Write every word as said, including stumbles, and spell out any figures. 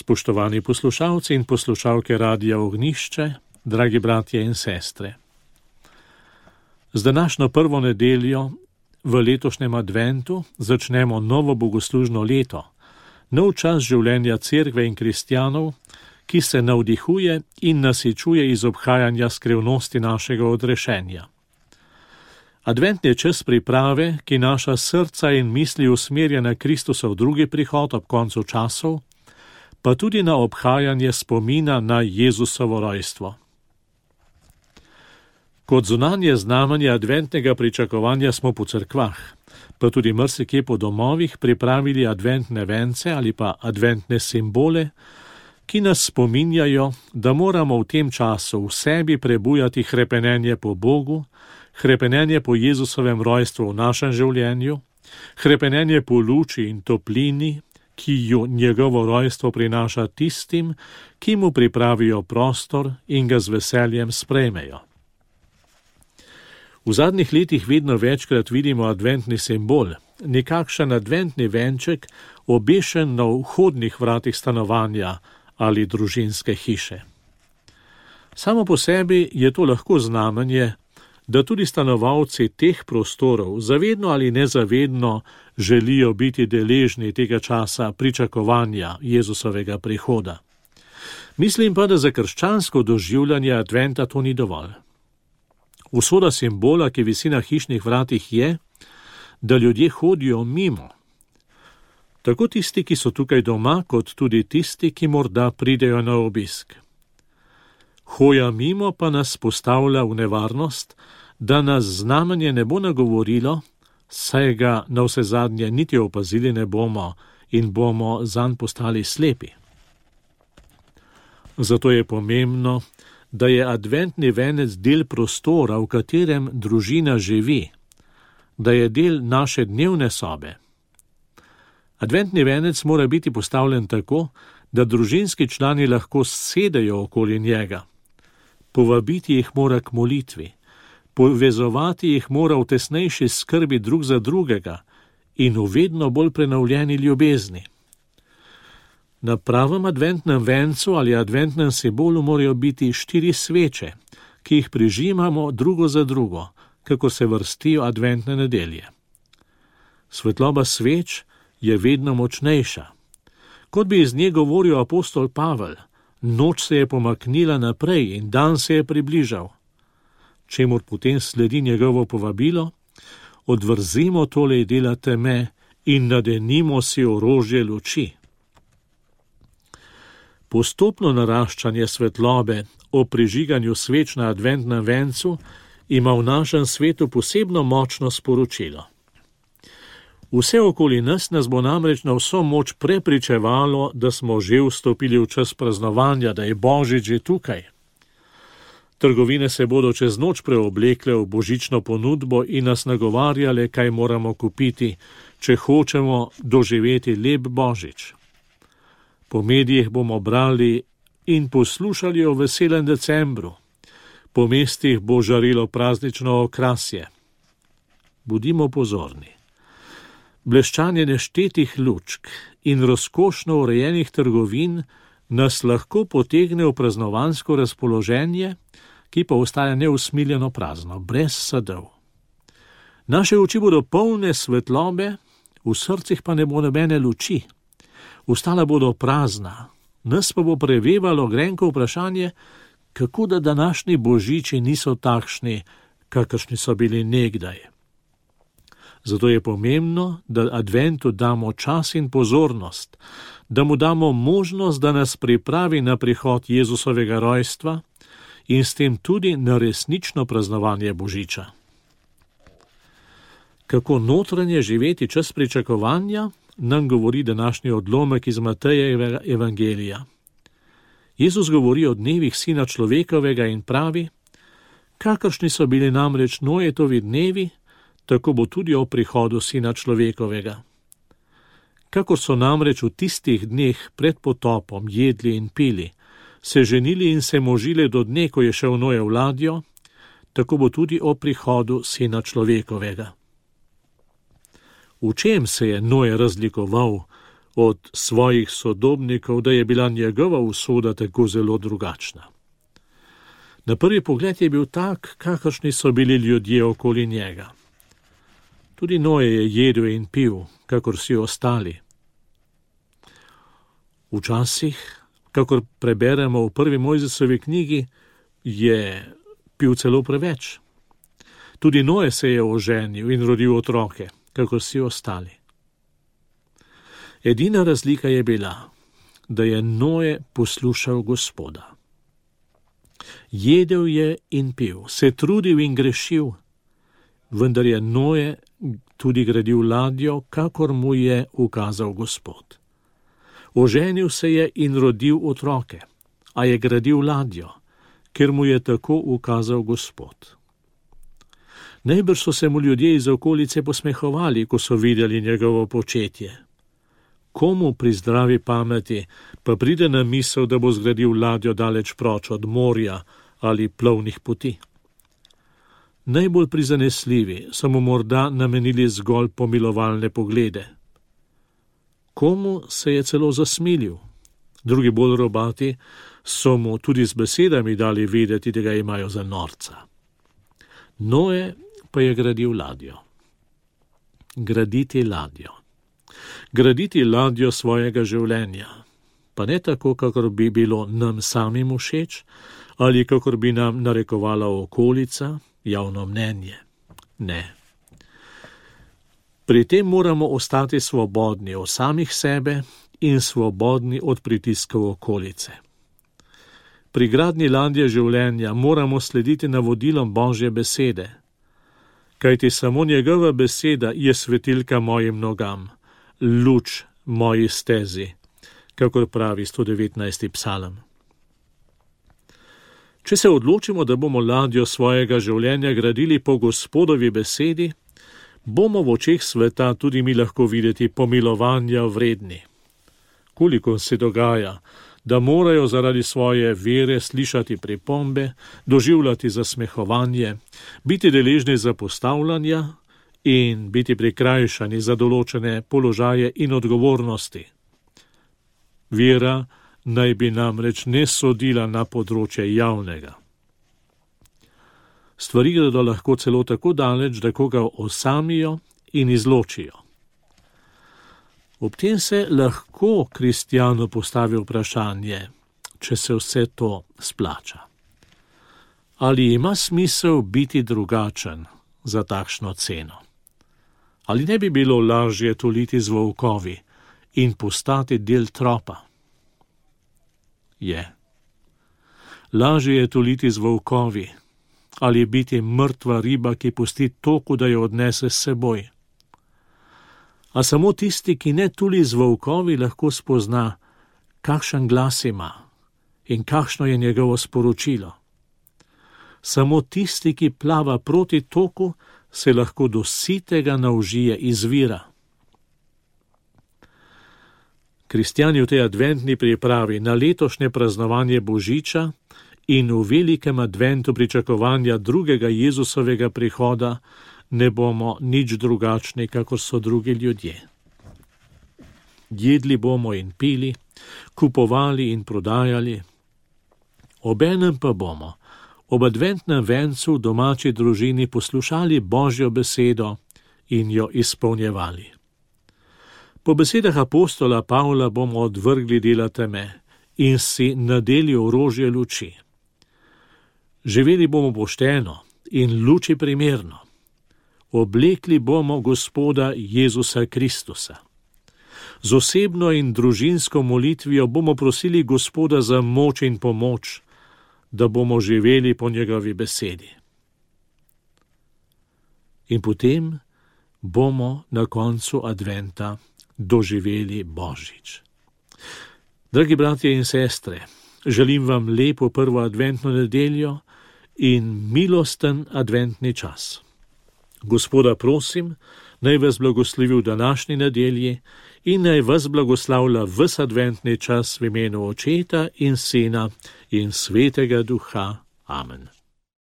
Spoštovani poslušalci in poslušalke Radia Ognjišče, dragi bratje in sestre. Z današnjo prvo nedeljo v letošnjem adventu začnemo novo bogoslužno leto, nov čas življenja cerkve in kristjanov, ki se navdihuje in nasičuje iz obhajanja skrivnosti našega odrešenja. Advent je čas priprave, ki naša srca in misli usmerja na Kristusov drugi prihod ob koncu časov, pa tudi na obhajanje spomina na Jezusovo rojstvo. Kot zunanje znamenje adventnega pričakovanja smo po cerkvah, pa tudi marsikje po domovih pripravili adventne vence ali pa adventne simbole, ki nas spominjajo, da moramo v tem času v sebi prebujati hrepenenje po Bogu, hrepenenje po Jezusovem rojstvu v našem življenju, hrepenenje po luči in toplini, ki jo njegovo rojstvo prinaša tistim, ki mu pripravijo prostor in ga z veseljem sprejmejo. V zadnjih letih vedno večkrat vidimo adventni simbol, nekakšen adventni venček, obešen na vhodnih vratih stanovanja ali družinske hiše. Samo po sebi je to lahko znamenje, da tudi stanovalci teh prostorov zavedno ali nezavedno želijo biti deležni tega časa pričakovanja Jezusovega prihoda. Mislim pa, da za krščansko doživljanje adventa to ni dovolj. Usoda simbola, ki visi na hišnih vratih, je, da ljudje hodijo mimo. Tako tisti, ki so tukaj doma, kot tudi tisti, ki morda pridejo na obisk. Hoja mimo pa nas postavlja v nevarnost, da nas znamenje ne bo nagovorilo, saj ga na vse zadnje niti opazili ne bomo in bomo zanj postali slepi. Zato je pomembno, da je adventni venec del prostora, v katerem družina živi, da je del naše dnevne sobe. Adventni venec mora biti postavljen tako, da družinski člani lahko sedejo okoli njega. Povabiti jih mora k molitvi, povezovati jih mora v tesnejši skrbi drug za drugega in v vedno bolj prenovljeni ljubezni. Na pravem adventnem vencu ali adventnem simbolu morajo biti štiri sveče, ki jih prižimamo drugo za drugo, kako se vrstijo adventne nedelje. Svetloba sveč je vedno močnejša. Kot bi iz nje govoril apostol Pavel, noč se je pomaknila naprej in dan se je približal. Čemur potem sledi njegovo povabilo, odvrzimo tole dela teme in nadenimo si orožje luči. Postopno naraščanje svetlobe o prižiganju sveč na adventnem vencu ima v našem svetu posebno močno sporočilo. Vse okoli nas nas bo namreč na vso moč prepričevalo, da smo že vstopili v čas praznovanja, da je Božič že tukaj. Trgovine se bodo čez noč preoblekle v božično ponudbo in nas nagovarjale, kaj moramo kupiti, če hočemo doživeti lep Božič. Po medijih bomo brali in poslušali o veselem decembru. Po mestih bo žarilo praznično okrasje. Budimo pozorni. Bleščanje neštetih lučk in razkošno urejenih trgovin nas lahko potegne v praznovansko razpoloženje, ki pa ostaja neusmiljeno prazno, brez sadov. Naše oči bodo polne svetlobe, v srcih pa ne bo nobene luči. Ostala bodo prazna, nas pa bo prevevalo grenko vprašanje, kako da današnji božiči niso takšni, kakršni so bili nekdaj. Zato je pomembno, da adventu damo čas in pozornost, da mu damo možnost, da nas pripravi na prihod Jezusovega rojstva in s tem tudi na resnično praznovanje božiča. Kako notranje živeti čas pričakovanja, nam govori današnji odlomek iz Matejevega evangelija. Jezus govori o dnevih Sina človekovega in pravi, kakršni so bili namreč Nojetovi dnevi, tako bo tudi o prihodu Sina človekovega. Kakor so namreč v tistih dneh pred potopom jedli in pili, se ženili in se možili do dne, ko je šel Noe v ladjo, tako bo tudi o prihodu Sina človekovega. V čem se je Noe razlikoval od svojih sodobnikov, da je bila njegova usoda tako zelo drugačna. Na prvi pogled je bil tak, kakršni so bili ljudje okoli njega. Tudi Noe je jedel in pil, kakor vsi ostali. Včasih, kakor preberemo v prvi Mojzesovi knjigi, je pil celo preveč. Tudi Noe se je oženil in rodil otroke, kakor vsi ostali. Edina razlika je bila, da je Noe poslušal Gospoda. Jedel je in pil, se trudil in grešil, vendar je Noe tudi gradil ladjo, kakor mu je ukazal Gospod. Oženil se je in rodil otroke, a je gradil ladjo, ker mu je tako ukazal Gospod. Najbrž so se mu ljudje iz okolice posmehovali, ko so videli njegovo početje. Komu pri zdravi pameti pa pride na misel, da bo zgradil ladjo daleč proč od morja ali plovnih poti? Najbolj prizanesljivi so mu morda namenili zgolj pomilovalne poglede. Komu se je celo zasmilil, drugi bolj robati so mu tudi z besedami dali vedeti, da ga imajo za norca. Noe pa je gradil ladjo. Graditi ladjo. Graditi ladjo svojega življenja, pa ne tako, kakor bi bilo nam samim všeč ali kakor bi nam narekovala okolica, javno mnenje. Ne. Pri tem moramo ostati svobodni od samih sebe in svobodni od pritiskov okolice. Pri gradnji ladje življenja moramo slediti navodilom Božje besede, kajti samo njegova beseda je svetilka mojim nogam, luč moji stezi, kakor pravi sto devetnajsti psalm. Če se odločimo, da bomo ladjo svojega življenja gradili po Gospodovi besedi, bomo v očeh sveta tudi mi lahko videti pomilovanja vredni. Koliko se dogaja, da morajo zaradi svoje vere slišati pripombe, doživljati zasmehovanje, biti deležni zapostavljanja in biti prikrajšani za določene položaje in odgovornosti. Vera naj bi namreč ne sodila na področje javnega. Stvari gredo lahko celo tako daleč, da koga osamijo in izločijo. Ob tem se lahko kristjanu postavi vprašanje, če se vse to splača. Ali ima smisel biti drugačen za takšno ceno? Ali ne bi bilo lažje tuliti z volkovi in postati del tropa? Je. Lažje je tuliti z volkovi ali biti mrtva riba, ki pusti toku, da jo odnese s seboj. A samo tisti, ki ne tuli z volkovi, lahko spozna, kakšen glas ima in kakšno je njegovo sporočilo. Samo tisti, ki plava proti toku, se lahko do sitega naužije izvira. Kristjani v tej adventni pripravi na letošnje praznovanje Božiča in v velikem adventu pričakovanja drugega Jezusovega prihoda ne bomo nič drugačni, kakor so drugi ljudje. Jedli bomo in pili, kupovali in prodajali, obenem pa bomo ob adventnem vencu v domači družini poslušali Božjo besedo in jo izpolnjevali. Po besedah apostola Pavla bomo odvrgli dela teme in si nadeli orožje luči. Živeli bomo pošteno in luči primerno. Oblekli bomo Gospoda Jezusa Kristusa. Z osebno in družinsko molitvijo bomo prosili Gospoda za moč in pomoč, da bomo živeli po njegovi besedi. In potem bomo na koncu adventa doživeli Božič. Dragi bratje in sestre, želim vam lepo prvo adventno nedeljo in milosten adventni čas. Gospoda prosim, naj vas blagoslovi v današnji nedelji in naj vas blagoslavlja ves adventni čas v imenu Očeta in Sina in Svetega Duha. Amen.